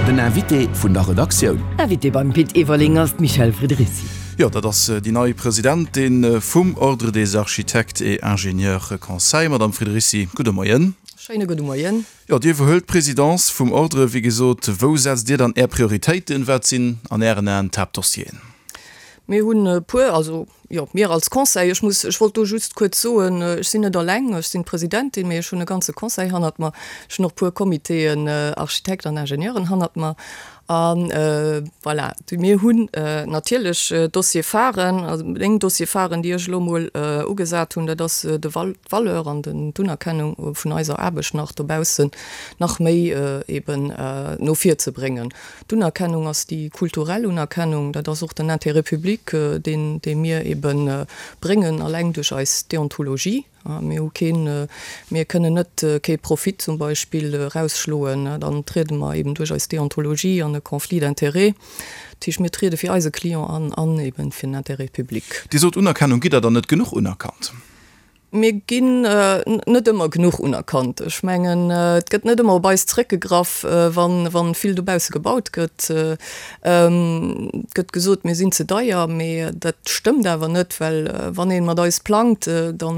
Den Invité vun der Redaktioun. Invité beim Pit Everling ass d'Michèle Friederici. Jo, dat ass déi nei Presidentin vum Ordre des Architectes et Ingénieurs Conseil. Madame Friederici, gudde Moien. Schéine gudde Moien. Jo, Dir iwwerhuelt d'Presidence vum Ordre. Wéi gesot, wou setzt Dir dann Är Prioritéiten? Wat sinn an Ären Aen d'Haaptdossieren? Mir hunn e puer, also jo, mir als Conseil, ech muss, ech wollt do just kuerz soen, ech sinn net alleng, ech sinn d'Presidentin, mee ech hunn e ganze Conseil hannert mer, ech hunn och e puer Comitéen, Architekten an Ingenieuren hannert mer. A voilà, mir hunn natierlech Dossier-pharen, also meng Dossier-pharen, déi ech elo emol ugesat hunn, dat ass de Val, d'Valeur an den, d'Unerkennung vun eiser Aarbecht nach dobaussen nach méi eben no vir ze bréngen. D'Unerkennung ass déi kulturell Unerkennung, dat ass och den Intérêt public, deen, dee mir ebe bréngen, alleng duerch eis Deontologie. Mir hu keen, mir kënnen net kee Profit zum Beispill erausschloen, dann triede mer eben duerch eis Deontologie an e Conflit d'intérêts. Dat heescht, mir triede fir eise Client an an eben fir den Intérêt public. Dir sot Unerkennung. Gitt Der dann net genuch unerkannt? Mir ginn net ëmmer genuch unerkannt. Ech mengen, et gëtt net ëmmer op eis zréckgegraff, wa vill dobausse gebaut gëtt. Et gëtt gesot, mir sinn ze deier, mee dat stëmmt awer net, well wann ee mat eis plangt, da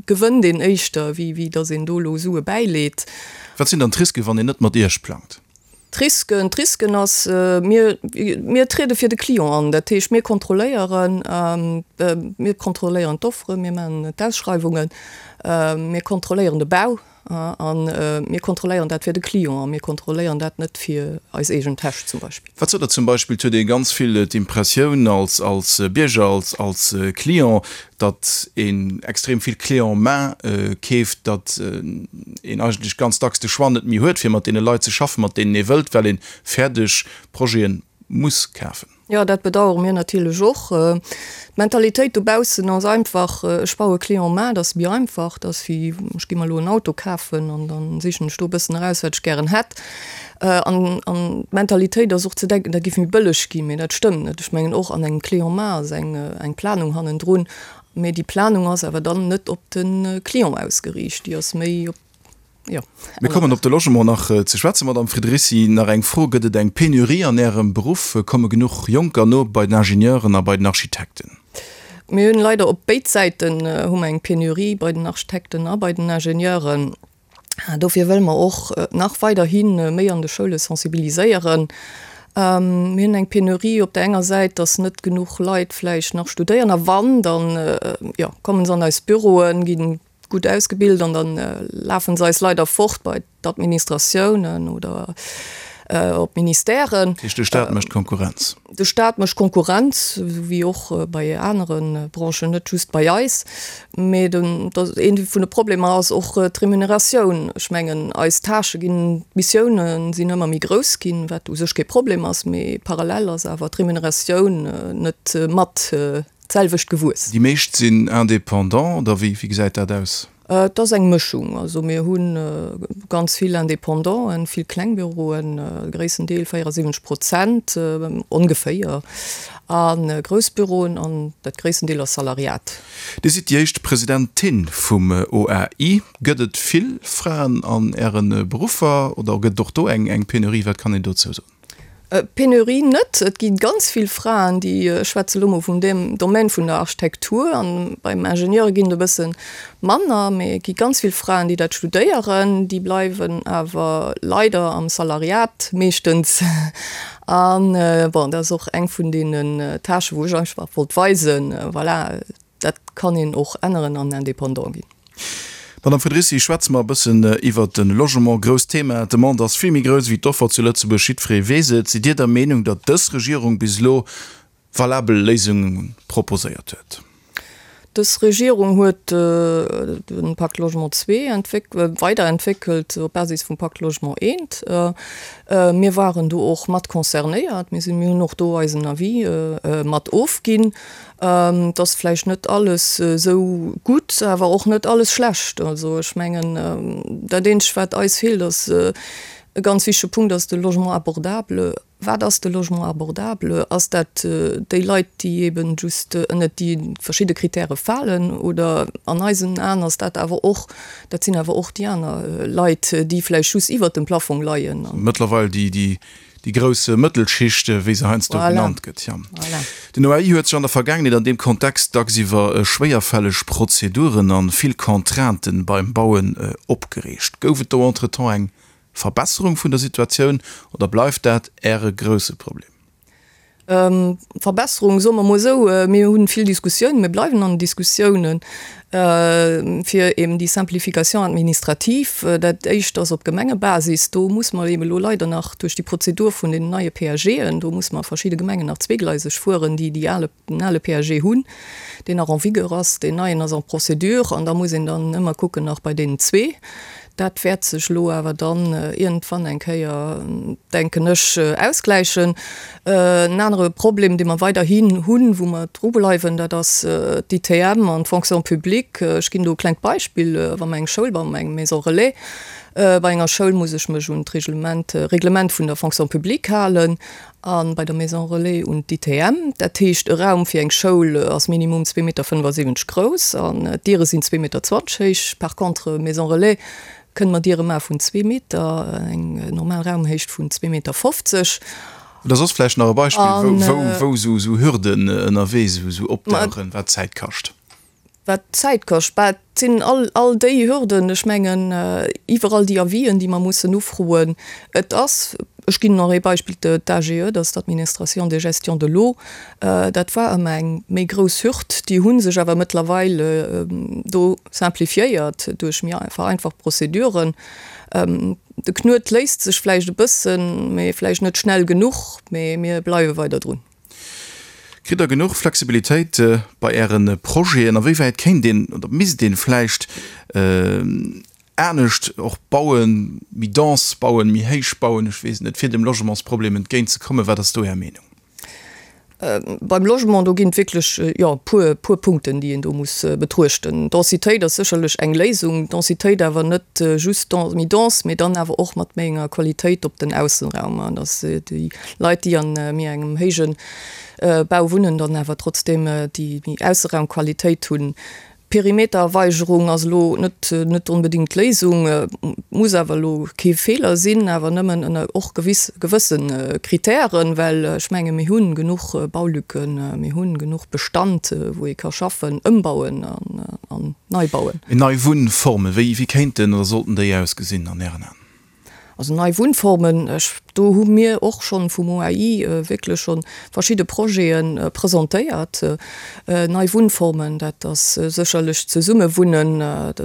gewënnt een éischter, wéi datt een do elo Sue bäileet. Wat sinn dann d'Risken, wann een net mat Iech plangt? D'Risken, D'Risken ass, mir, mir triede fir de Client an. Dat heescht, mir kontrolléieren, mir kontrolléieren d'Offere, mir maachen d'Ausschreiwungen, mir kontrolléieren de Bau a mir kontrolléieren dat fir de Client a mir kontrolléieren dat net fir eis eegen Täsch zum Beispill. Wat sot Der zum Beispill, et huet ee ganz vill d'Impressioun als, als Bierger, als, als Client, datt een extrem vill Clé en main keeft, datt een eigentlech ganz dacks de Choix net méi huet, fir mat deene Leit ze schaffen, mat deenen ee wëllt, well ee fäerdeg Projete muss kafen. Jo, dat bedauere mir natierlech och. D'Mentalitéit dobaussen ass einfach, ech baue Clé en main, dat ass méi einfach, dat ass wéi ech gi mer elo en Auto kafen an da sichen ech do e bëssen eraus, wat ech gären hätt. An d'Mentalitéit ass och ze denken, dat géif méi bëlleg ginn, mee dat stëmmt net. Ech mengen och an engem Clé en main ass eng Planung hannendrun, mee déi Planung ass awer dann net op de Client ausgeriicht, déi ass méi op, jo, Mir kommen op de Logement nach ze schwätzen, Madamm Friederici. Nach eng Fro, Gëtt et eng Penurie an Ärem Beruff? Komme genuch Jonker no bei den Ingenieuren a bei den Architekten? Mir hunn leider op béid Säiten hu mer eng Penurie, bei den Architekten a bei den Ingenieuren. Dofir wëlle mer och nach weiderhi méi an de Schoule sensibiliséieren. Mir hunn eng Penurie op der enger Säit, datt net genuch Leit vläicht nach studéieren a wann, dann, jo, kommen se an eis Büroen, gi gutt ausgebilt an da lafe se eis leider fort bei d'Administratiounen oder op d'Ministèren. Dat heescht, de Staat mécht Konkurrenz? De Staat mécht Konkurrenz, esou wéi och bei anere Branchen, net just bei eis. Mee den, een vun de Problemer ass och d'Remuneratioun. Ech mengen, eis Tâchë ginn, d'Missioune sinn ëmmer méi grouss ginn, wat u sech kee Problem ass, mee parallel ass awer d'Remuneratioun net mat d'selwecht gewuess. Déi meescht sinn Indépendant, oder wéi gesäit dat aus? Et ass eng Mëschung. Also mir hu ganz vill Indépendanten, vill kleng Büroen, de gréissten Deel, 74 Prozent ongeféier, a grouss Büroen an dat gréissten Deel ass Salariat. Dir sidd déi éischt Presidentin vum OAI. Gëtt et vill Fraen an Äre Beruffer oder gëtt et och do eng Penurie? Wat kann een dozou soen? Penurie net. Et gi ganz vill Fraen, déi, ech schwätze elo mol vun deem Domaine vun der Architektur, an beim Ingenieure ginn et e bësse manner, mee et gi ganz vill Fraen, déi dat studéieren, déi bleiwen awer leider am Salariat meeschtens. An bon, dat ass och eng vun deenen Tâchen, wou ech einfach wollt weisen, voilà, Dat kann een och änneren an Indépendant ginn. Madame Federici, schwätze mer e bëssen iwwert de Logement. Grousst Thema, d'Demande ass vill méi grouss ewéi d'Offer zu Lëtzebuerg. Jiddweree weess et. Sidd Dir der Meenung, datt dës Regierung bis elo valabel Léisunge proposéiert huet? Dës Regierung huet de Pacte Logement ii weiderentwéckelt op Basis vum Pacte Logement I. Mir waren do och mat concernéiert. Mir sinn, mir hunn och do eisen Avis mat ofginn. Et ass vläicht net alles esou gutt, awer och net alles schlecht. Also ech mengen, dat eenzegt wat eis feelt, ass. E ganz wichtege Punkt ass de Logement abordable. Wat ass de Logement abordable? Ass dat déi Leit, déi eben just ënnert déi verschidde Kritäre falen? Oder an eisen Aen ass dat awer och, dat sinn awer och déi aner Leit, déi vläicht just iwwert dem Plafong leien. Mëttlerweil déi, déi grouss Mëttelschicht, wéi se heiansdo genannt gëtt. Jo. Den OAI huet sech an der Vergaangenheet an deem Kontext dacks iwwer schwéierfälleg Prozeduren a vill Contrainten beim Bauen opgereegt. Gouf et do entretemps eng Verbesserung vun der Situatioun oder bleift dat Äre grousse Problem? Verbesserung, soe mer mol esou, mir hu vill Diskussiounen, mir bleiwen an den Diskussiounen, fir eben déi Simplification administrative. Dat éischt ass op Gemengebasis, do muss mer eben elo leider nach duerch déi Prozedur vun den neie PAGen, do muss mer a verschidde Gemengen nach zweegleiseg fueren, déi déi ale, den ale PAG hunn, deen nach en vigueur ass, deen neien ass en procédure an da muss een dann ëmmer kucken nach bei deenen zwee. Dat wäert sech elo awer dann iergendwann eng Kéier, denken ech, ausgläichen. En anere Problem, dee mer weiderhin hunn, wou mer dru bleiwen, dat ass d'ITM an d'Fonction publique. Ech ginn do e klengt Beispill, Wa mer eng Schoul bauen, eng Maison relais, bei enger Schoul muss ech mech un d'Reglement, Reglement vun der Fonction publique halen a bei der Maison relais un d'ITM. Dat heescht, e Raum fir eng Schoul ass minimum 2,75 Meter grouss an d'Diere sinn 2,20 Meter héich. Par contre, Maison relais kënne mer Diere maache vun zwee Meter, eng normal Raumhéicht vun 2,50 Meter. Oder soss vläicht nach e Beispill, wou esou Hürden ënnerwee esou opdauchen, wat Zäit kascht? Wat d'Zäit kascht, bah, et sinn all, all déi Hürden, ech mengen, iwwerall déi Avisen, déi mer mussen ufroen. Et ass, ech ginn nach ee Beispill, d'AGE, dat ass d'Administration de gestion de l'eau, dat war ëmmer eng méi grouss Hürd. Déi hu sech awer mëttlerweil do simplifiéiert duerch méi vereinfacht Prozeduren. De Knuet léist sech vläicht e bëssen, mee vläicht net schnell genuch, mee mir bleiwe weider drun. Kritt der genuch Flexibilitéit bei Äre Projeten? A wéi wäit kéint een oder misst een vläicht anescht och bauen, méi dense bauen, méi héich bauen, ech weess et net, fir dem Logementsproblem entgéint ze kommen? Wat ass do Är Meenung? Beim Logement, do ginn et wierklech, jo, e puer, puer Punkten, déi een do muss betruechten. Densitéit ass sécherlech eng Léisung. Densitéit awer net just méi dense, mee dann awer och mat méi enger Qualitéit op den Aussenraum, dass déi Leit, déi an méi engem héije Bau wunnen, dann awer trotzdeem déi méi Ausseraumqualitéit hunn. Perimetererweigerung ass elo net net onbedéngt d'Léisung, muss awer elo kee Feeler sinn, awer nëmmen ënner och gewiss gewësse Kritären, well ech menge mir hu genuch Baulücken, mir hu genuch Bestand, wou ee ka schaffen, ëmbauen an nei bauen. Nei Wunnformen, wéi kéinten oder sollten déi ausgesinn an Ären Aen? Also nei Wunnformen, ech, do hu mir och schonn vum OAI wierklech scho verschidde Projete presentéiert. Nei Wunnformen, dat ass sécherlech Zesummewunnen,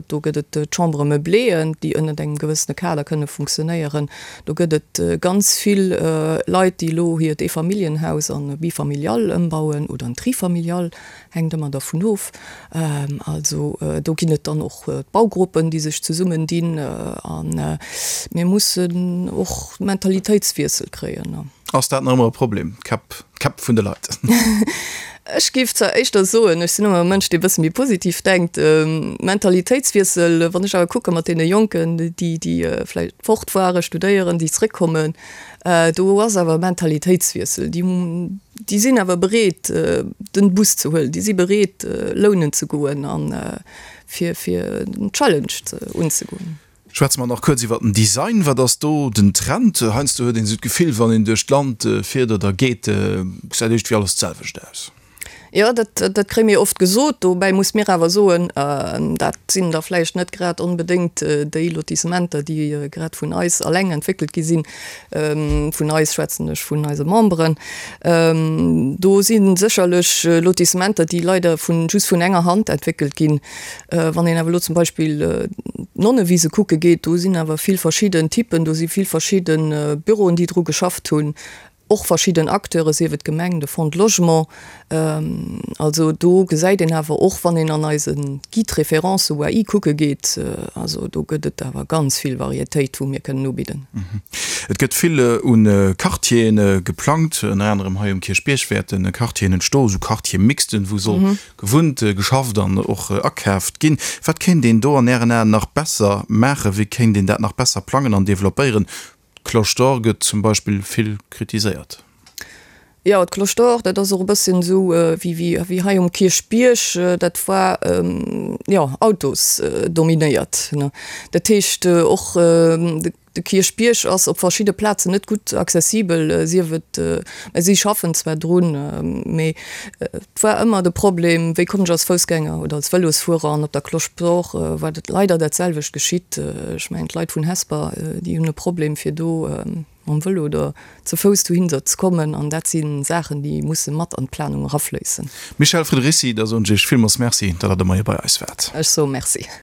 do gëtt et d'Chambres meublées, déi ënnert engem gewëssene Kader kënne funktionéieren. Do gëtt et ganz vill Leit, déi elo hiert Eefamilljenhaus an e Bifamilial ëmbauen oder en Trifamilial. Hänkt ëmmer dervun of. Also do ginn et dann och d'Baugruppen, déi sech zesummen dinn. A mir mussen och Mentalitéitswiessel kréien. Ass dat nach ëmmer e Problem, d'Käpp, d'Käpp vun de Leit? Ech géif zwar éischter soen, ech sinn ëmmer e Mënsch, dee e bësse méi positiv denkt, Mentalitéitswiessel, wann ech awer kucke mat deene Jonken, déi, déi vläicht fort ware studéieren, déi zréckkommen, Do ass awer e Mentalitéitswiessel. Déi, déi sinn awer bereet, den Bus ze huelen, déi si bereet, lounen ze goen a fir, fir den Challenge ze, unzegoen. Schwätze mer nach kuerz iwwer den Design. Wat ass do den Trend? Heiansdo huet een esou d'Gefill, wann een duerch d'Land fiert oder geet, gesäit iergendwéi alles d'selwecht aus. Jo, dat, dat kréie mir oft gesot. Dobäi muss mir awer soen, dat sinn da vläicht net grad onbedéngt déi Lotissementer, déi grad vun eis alleng entwéckelt gi sinn. Vun eis schwätzen ech vun eise Memberen. Do si sécherlech Lotissementer, déi leider vun, just vun enger Hand entwéckelt ginn. Wann een awer elo zum Beispill d'Nonnewise kucke geet, do sinn awer vill verschidden Typen, do si vill verschidde Büroen, déi dru geschafft hunn. Och verschidden Acteure, sief et d'Gemeng, de Fonds de Logement. Also do gesäit een awer och, wann een an eise Guide référence OAI kucke geet, also do gëtt et awer ganz vill Varietéit, wou mir kënnen ubidden. Et gëtt vill u Quartiere geplangt, ënner anerem hei um Kierchbierg wäerte Quartieren entstoen, esou Quartier-mixten, wou soll gewunnt, geschafft an och akaaft ginn. Wat kéint een do an Ären Aen nach besser maachen? Wéi kéint een dat nach besser plangen an developpéieren? D'Cloche d'Or gëtt zum Beispill vill kritiséiert. Jo, d'Cloche d'Or, dat ass och e bësschen esou wéi wéi hei um Kierchbierg, dat war, jo, autosdominéiert. Dat heescht och de Kierchbierg ass op verschidde Plazen net gutt accessibel, sief et, mä si schaffen zwar drun, mee et war ëmmer de Problem, wéi kommen ech als Foussgänger oder als Vëlosfuerer an op der Cloche d'Or war dat leider dat selwecht geschitt. Ech mengen d'Leit vun Hesper, déi hunn e Problem fir do mam Vëlo oder ze Fouss dohinner ze kommen an dat si Saachen, déi musse mat an d'Planung erafléissen. Michèle Friederici, da soen ech Iech villmools Merci, datt Der de Moie bei eis waart. Ech soe Merci.